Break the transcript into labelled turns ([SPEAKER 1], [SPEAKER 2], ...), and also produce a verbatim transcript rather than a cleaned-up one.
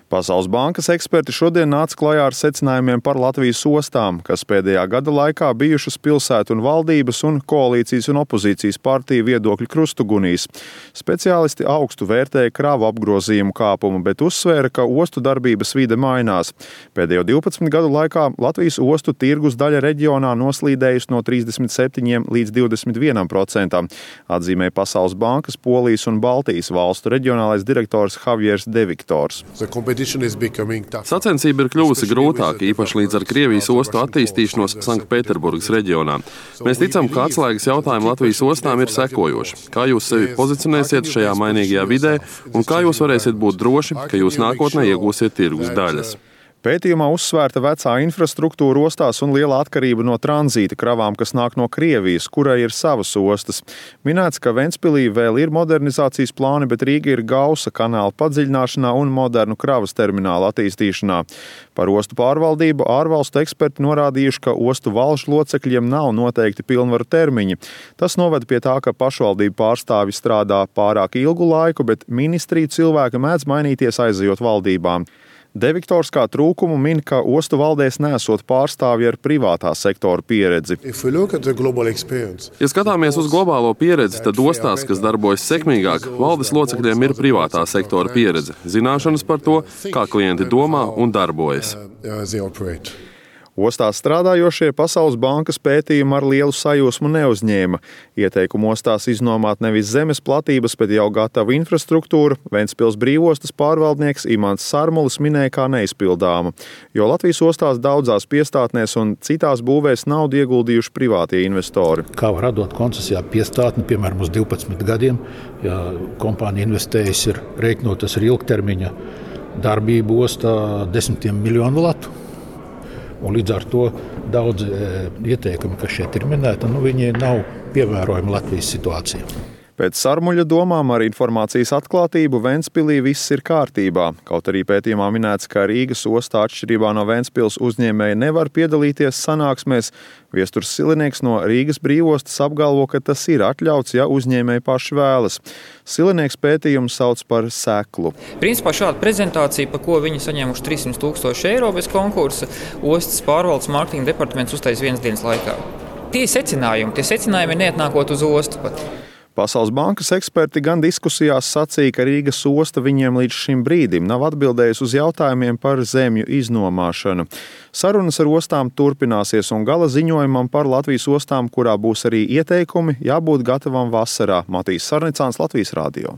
[SPEAKER 1] Pasaules bankas eksperti šodien nāca klajā ar secinājumiem par Latvijas ostām, kas pēdējā gada laikā bijušas pilsētu un valdības un koalīcijas un opozīcijas partiju viedokļu krustugunīs. Speciālisti augstu vērtēja kravu apgrozījumu kāpumu, bet uzsvēra, ka ostu darbības vide mainās. Pēdējo divpadsmit gadu laikā Latvijas ostu tirgus daļa reģionā noslīdējusi no trīsdesmit septiņiem līdz divdesmit vienam procentam, atzīmēja Pasaules bankas Polijas un Baltijas valstu reģionālais direktors Javiers De Viktors.
[SPEAKER 2] Sacensība ir kļuvusi grūtāka, īpaši līdz ar Krievijas ostu attīstīšanos Sanktpēterburgas reģionā. Mēs ticam, ka atslēgas jautājumi Latvijas ostām ir sekojoši. Kā jūs sevi pozicionēsiet šajā mainīgajā vidē un kā jūs varēsiet būt droši, ka jūs nākotnē iegūsiet tirgus daļas?
[SPEAKER 1] Pētījumā uzsvērta vecā infrastruktūra ostās un liela atkarība no tranzīta kravām, kas nāk no Krievijas, kurai ir savas ostas. Minēts, ka Ventspilī vēl ir modernizācijas plāni, bet Rīga ir gausa kanāla padziļināšanā un modernu kravas terminālu attīstīšanā. Par ostu pārvaldību ārvalstu eksperti norādījuši, ka ostu valžu locekļiem nav noteikti pilnvaru termiņi. Tas noved pie tā, ka pašvaldību pārstāvji strādā pārāk ilgu laiku, bet ministriju cilvēki mēdz mainīties aizejot valdībām. De Viktors kā trūkumu min, ka ostu valdēs nesot pārstāvji ar privātā sektora pieredzi.
[SPEAKER 2] Ja skatāmies uz globālo pieredzi, tad ostās, kas darbojas sekmīgāk, valdes locekļiem ir privātā sektora pieredze, zināšanas par to, kā klienti domā un darbojas.
[SPEAKER 1] Ostās strādājošie Pasaules bankas pētījumu ar lielu sajūsmu neuzņēma. Ieteikumu ostās iznomāt nevis zemes platības, bet jau gatavu infrastruktūru Ventspils brīvostas pārvaldnieks Imants Sarmulis minēja kā neizpildāmu, jo Latvijas ostās daudzās piestātnēs un citās būvēs naudu ieguldījuši privātie investori.
[SPEAKER 3] Kā var atdot koncesijā piestātni, piemēram, uz divpadsmit gadiem, ja kompānija investējas ir rēķinotas ar ilgtermiņa darbību ostā desmitiem miljonu latu. Un līdz ar to daudz ieteikumi, kas šeit ir minēti, nu, viņi nav pievērojami Latvijas situācijā.
[SPEAKER 1] Pēc Sarmuļa domām ar informācijas atklātību Ventspilī viss ir kārtībā. Kaut arī pētījumā minēts, ka Rīgas ostā atšķirībā no Ventspils uzņēmēji nevar piedalīties sanāksmēs. Viesturs Silinieks no Rīgas brīvostas apgalvo, ka tas ir atļauts, ja uzņēmēji paši vēlas. Silinieks pētījumu sauc par seklu.
[SPEAKER 4] Principā šāda prezentācija, pa ko viņi saņēmuši trīssimt tūkstoši eiro bez konkursa, ostas pārvaldes mārketinga departaments uztais vienas dienas laikā. Tie secinājumi, tie secinājumi neatnākot uz ostu pat.
[SPEAKER 1] Pasaules bankas eksperti gan diskusijās sacīja, ka Rīgas osta viņiem līdz šim brīdim nav atbildējusi uz jautājumiem par zemju iznomāšanu. Sarunas ar ostām turpināsies un gala ziņojumam par Latvijas ostām, kurā būs arī ieteikumi, jābūt gatavam vasarā. Matīs Sarnicāns, Latvijas radio.